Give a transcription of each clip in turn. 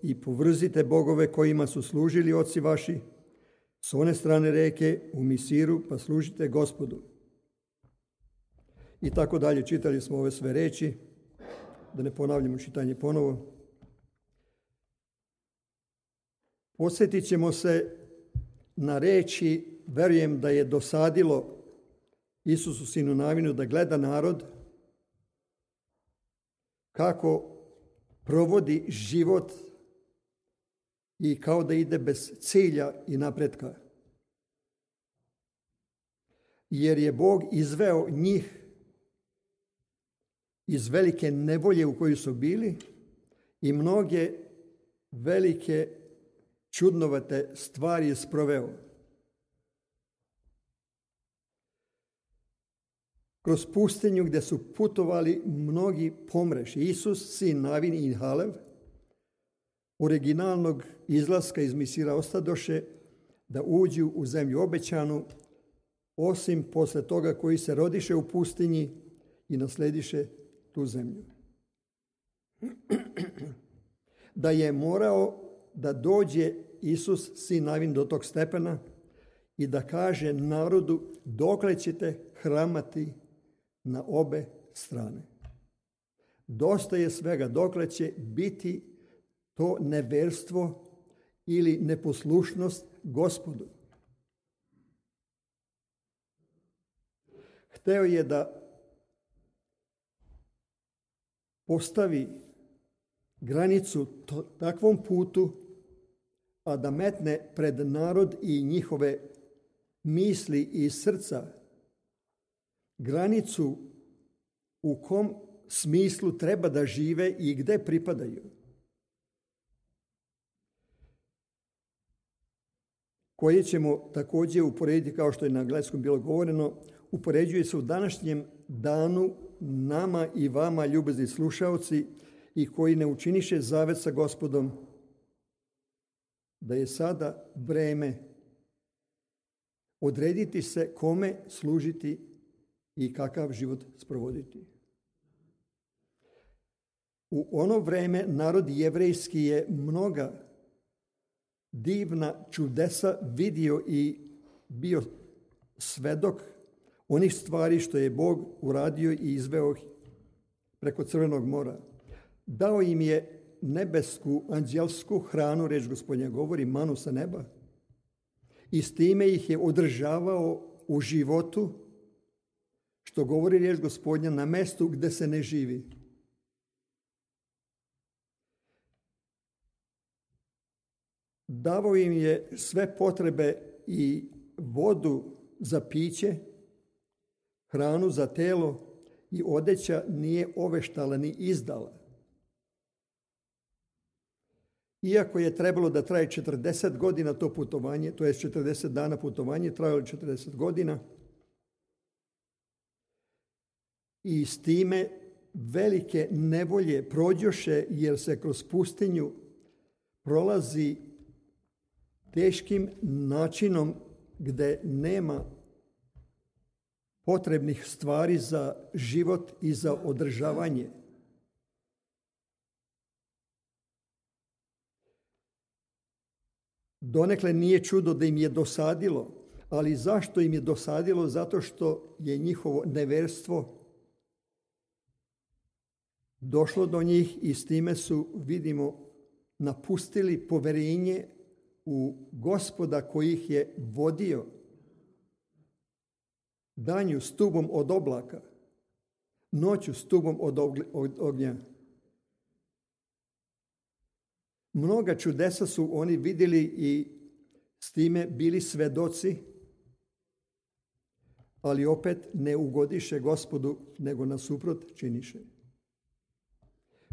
i povrzite bogove kojima su služili oci vaši, s one strane reke u Misiru, pa služite Gospodu. I tako dalje, čitali smo ove sve reči, da ne ponavljamo čitanje ponovo. Podsjetit ćemo se na reči, verujem da je dosadilo Isusu sinu Navinu da gleda narod kako provodi život i kao da ide bez cilja i napretka. Jer je Bog izveo njih iz velike nevolje u kojoj su bili i mnoge velike čudnovate stvari je sproveo. Kroz pustinju gdje su putovali mnogi pomreši. Isus, sin Navin i Halev, originalnog izlaska iz Misira ostadoše da uđu u zemlju obećanu, osim posle toga koji se rodiše u pustinji i naslediše tu zemlju. Da je morao da dođe Isus, sin Navin, do tog stepena i da kaže narodu dokle ćete hramati na obe strane. Dosta je svega, dokle će biti to neverstvo ili neposlušnost Gospodu. Hteo je da postavi granicu takvom putu, a da metne pred narod i njihove misli i srca granicu u kom smislu treba da žive i gde pripadaju. Koje ćemo također uporediti, kao što je na engleskom bilo govoreno, upoređuje se u današnjem danu nama i vama, ljubezni slušaoci, i koji ne učiniše zavet sa Gospodom, da je sada vreme odrediti se kome služiti i kakav život sprovoditi. U ono vreme narod jevrejski je mnoga divna čudesa vidio i bio svedok onih stvari što je Bog uradio i izveo preko Crvenog mora. Dao im je nebesku, anđelsku hranu, reč Gospodnja govori, manu sa neba, i s time ih je održavao u životu, što govori riječ Gospodnja, na mestu gde se ne živi. Davao im je sve potrebe i vodu za piće, hranu za telo, i odeća nije oveštala ni izdala. Iako je trebalo da traje 40 godina to putovanje, to je 40 dana putovanje, trajalo 40 godina, i s time velike nevolje prođoše, jer se kroz pustinju prolazi teškim načinom gde nema potrebnih stvari za život i za održavanje. Donekle nije čudo da im je dosadilo, ali zašto im je dosadilo? Zato što je njihovo neverstvo došlo do njih i s time su, vidimo, napustili poverenje u Gospoda koji ih je vodio danju stubom od oblaka, noću stubom od ognja. Mnoga čudesa su oni vidjeli i s time bili svedoci, ali opet ne ugodiše Gospodu, nego nasuprot činiše.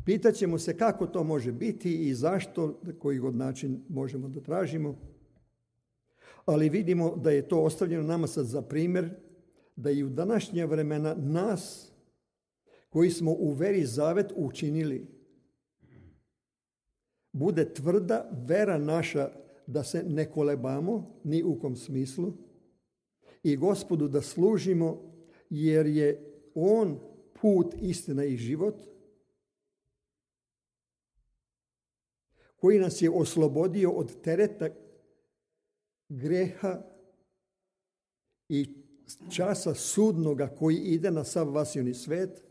Pitaćemo se kako to može biti i zašto, koji god način možemo da tražimo, ali vidimo da je to ostavljeno nama sad za primjer, da i u današnja vremena nas, koji smo u veri zavet učinili, bude tvrda vera naša, da se ne kolebamo ni u kom smislu i Gospodu da služimo, jer je On put, istina i život. koji nas je oslobodio od tereta greha i časa sudnoga koji ide na sav vasioni svet.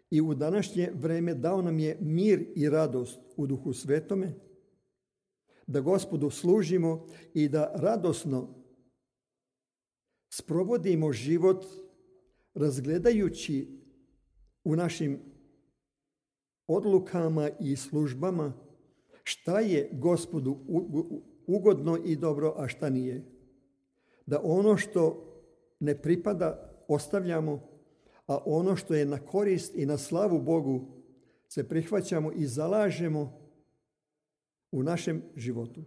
I u današnje vreme dao nam je mir i radost u Duhu Svetome, da Gospodu služimo i da radosno sprovodimo život razgledajući u našim odlukama i službama šta je Gospodu ugodno i dobro, a šta nije. Da ono što ne pripada ostavljamo, a ono što je na korist i na slavu Bogu se prihvaćamo i zalažemo u našem životu.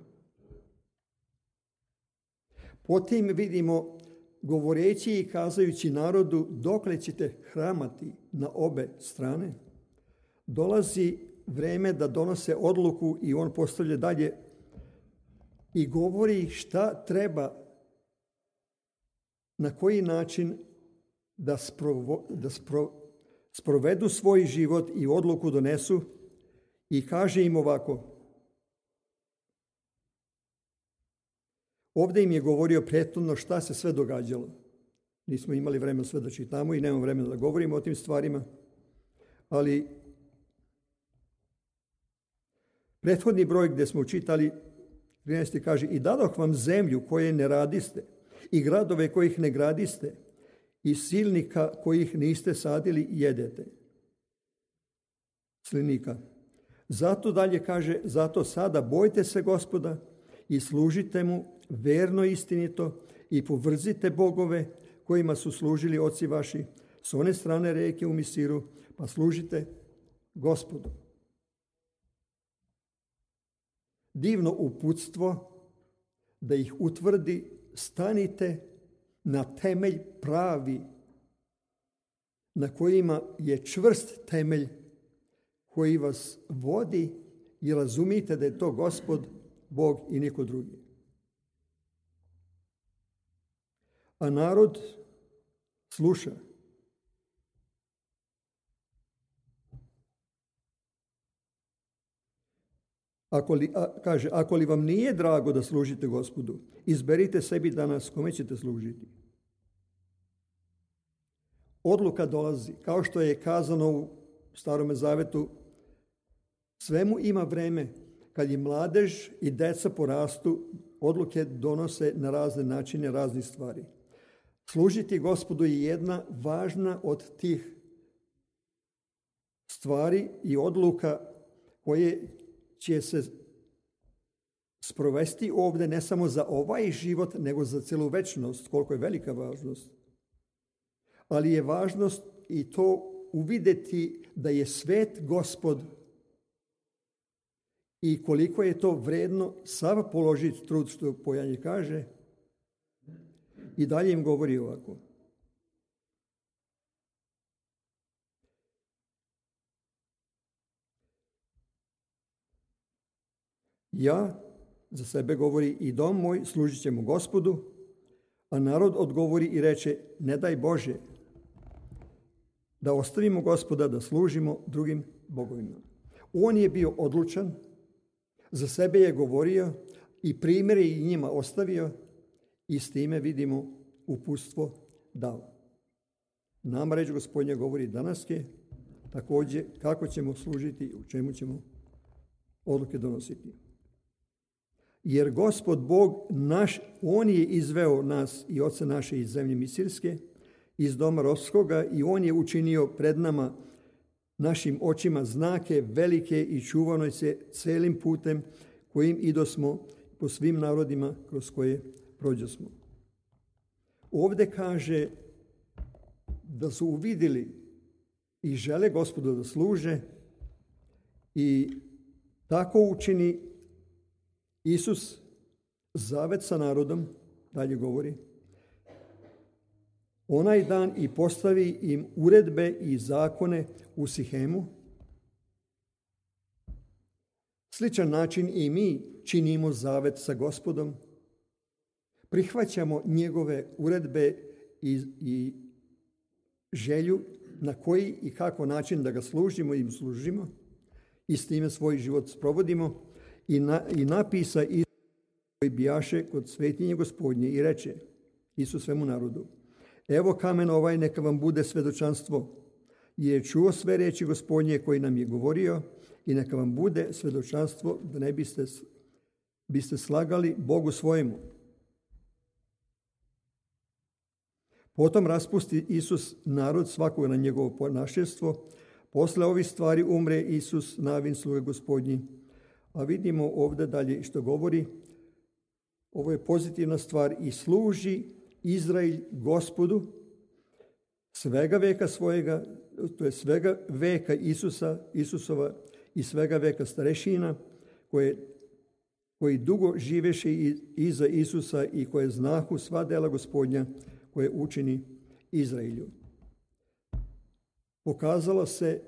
Potim vidimo, govoreći i kazajući narodu dokle ćete hramati na obe strane, dolazi vreme da donose odluku i on postavlja dalje i govori šta treba, na koji način da sprovedu svoj život i odluku donesu i kaže im ovako. Ovdje im je govorio prethodno šta se sve događalo. Nismo imali vremena sve da čitamo i nemamo vremena da govorimo o tim stvarima, ali prethodni broj gdje smo čitali 13. kaže i dadoh vam zemlju koje ne radiste i gradove kojih ne gradiste i silnika kojih niste sadili i jedete. Slinika. Zato dalje kaže, zato sada bojte se Gospoda i služite mu verno i istinito i povrzite bogove kojima su služili oci vaši s one strane reke u Misiru, pa služite Gospodu. Divno uputstvo da ih utvrdi, stanite na temelj pravi, na kojima je čvrst temelj koji vas vodi i razumite da je to Gospod, Bog i niko drugi. A narod sluša. Ako li vam nije drago da služite Gospodu, izberite sebi danas kome ćete služiti. Odluka dolazi, kao što je kazano u Starome Zavetu, svemu ima vreme. Kad je mladež i deca porastu, odluke donose na razne načine, razne stvari. Služiti Gospodu je jedna važna od tih stvari i odluka koje će se sprovesti ovdje ne samo za ovaj život, nego za celu večnost, koliko je velika važnost. Ali je važnost i to uvidjeti da je svet Gospod i koliko je to vredno sav položiti trud, što Pojanje kaže. I dalje im govori ovako. Ja, za sebe govori, i dom moj služit ćemo Gospodu, a narod odgovori i reče, ne daj Bože da ostavimo Gospoda, da služimo drugim bogovima. On je bio odlučan, za sebe je govorio i primjer je i njima ostavio i s time vidimo uputstvo dao. Nama reč Gospodnja govori danas je također kako ćemo služiti i u čemu ćemo odluke donositi. Jer Gospod Bog naš, on je izveo nas i oca naše iz zemlje Misirske, iz doma ropskoga, i on je učinio pred nama, našim očima, znake velike i čuvanoj se celim putem kojim idosmo po svim narodima kroz koje prođosmo. Ovdje kaže da su uvidjeli i žele Gospodu da služe i tako učini Isus zavet sa narodom, dalje govori, onaj dan i postavi im uredbe i zakone u Sihemu. Sličan način i mi činimo zavet sa Gospodom. Prihvaćamo njegove uredbe i želju na koji i kako način da ga služimo i služimo i s time svoj život sprovodimo i napisa Isus koji bijaše kod svetinje Gospodnje i reče Isus svemu narodu: evo kamen ovaj, neka vam bude svedočanstvo, jer je čuo sve reči Gospodnje koji nam je govorio, i neka vam bude svedočanstvo da ne biste slagali Bogu svojemu. Potom raspusti Isus narod svakog na njegovo ponašestvo. Posle ovih stvari umre Isus, Navin sluga Gospodnji. A vidimo ovdje dalje što govori. Ovo je pozitivna stvar: i služi Izrael Gospodu svega veka svojega, to je svega veka Isusova i svega veka starešina koji dugo živeše iza Isusa i koje znahu sva dela Gospodnja koje učini Izraelju. Pokazala se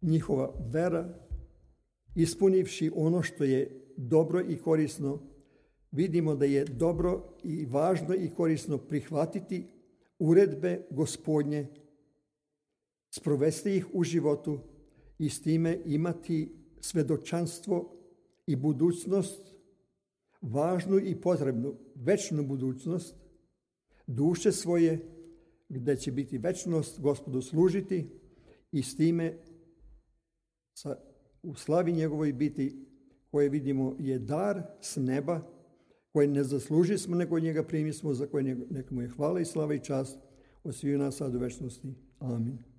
njihova vera, ispunivši ono što je dobro i korisno. Vidimo da je dobro i važno i korisno prihvatiti uredbe Gospodnje, sprovesti ih u životu i s time imati svedočanstvo i budućnost, važnu i potrebnu, večnu budućnost, duše svoje, gdje će biti večnost Gospodu služiti i s time u slavi njegovoj biti, koje vidimo je dar s neba, koje ne zasluži smo, nego njega primismo, za koje neka mu je hvala i slava i čast od svih nas sad u večnosti. Amin.